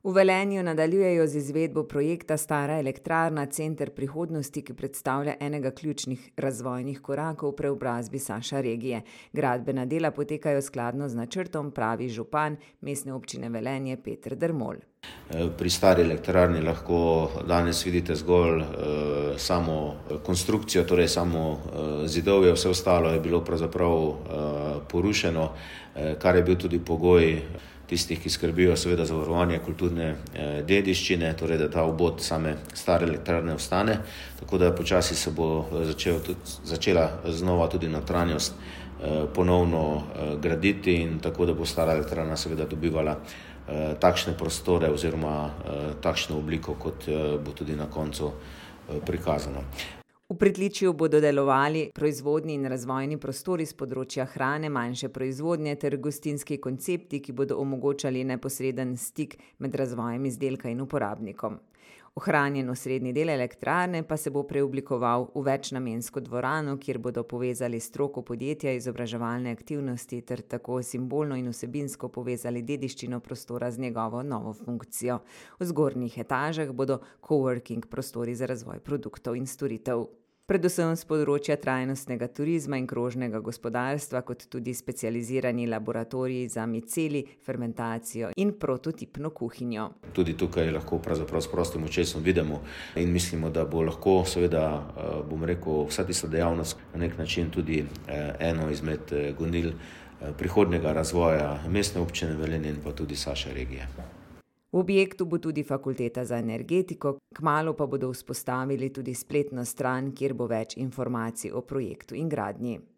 V Velenju nadaljujejo z izvedbo projekta Stara elektrarna Center prihodnosti, ki predstavlja enega ključnih razvojnih korakov v preobrazbi Saša regije. Gradbena dela potekajo skladno z načrtom, pravi župan Mestne občine Velenje Peter Dermol. Pri Stari elektrarni lahko danes vidite zgolj samo konstrukcijo, torej samo zidovje, vse ostalo je bilo pravzaprav porušeno, kar je bil tudi pogoj tistih, ki skrbijo seveda za varovanje kulturne dediščine, torej da ta obod same Stare elektrarne ostane, tako da počasi se bo začela znova tudi notranjost ponovno graditi in tako da bo Stara elektrarna seveda dobivala takšne prostore oziroma takšno obliko, kot bo tudi na koncu prikazano. V pritličju bodo delovali proizvodni in razvojni prostori s področja hrane, manjše proizvodnje ter gostinski koncepti, ki bodo omogočali neposreden stik med razvojem izdelka in uporabnikom. Ohranjen osrednji del elektrarne pa se bo preoblikoval v večnamensko dvorano, kjer bodo povezali stroko podjetja, izobraževalne aktivnosti ter tako simbolno in vsebinsko povezali dediščino prostora z njegovo novo funkcijo. V zgornjih etažah bodo coworking prostori za razvoj produktov in storitev. Predvsem z področja trajnostnega turizma in krožnega gospodarstva, kot tudi specializirani laboratoriji za miceli, fermentacijo in prototipno kuhinjo. Tudi tukaj lahko pravzaprav s prostim očesom vidimo in mislimo, da bo lahko seveda, vsa tista dejavnost na nek način tudi eno izmed gonil prihodnjega razvoja Mestne občine Velenje in pa tudi Saše regije. V objektu bo tudi fakulteta za energetiko, kmalu pa bodo vzpostavili tudi spletno stran, kjer bo več informacij o projektu in gradnji.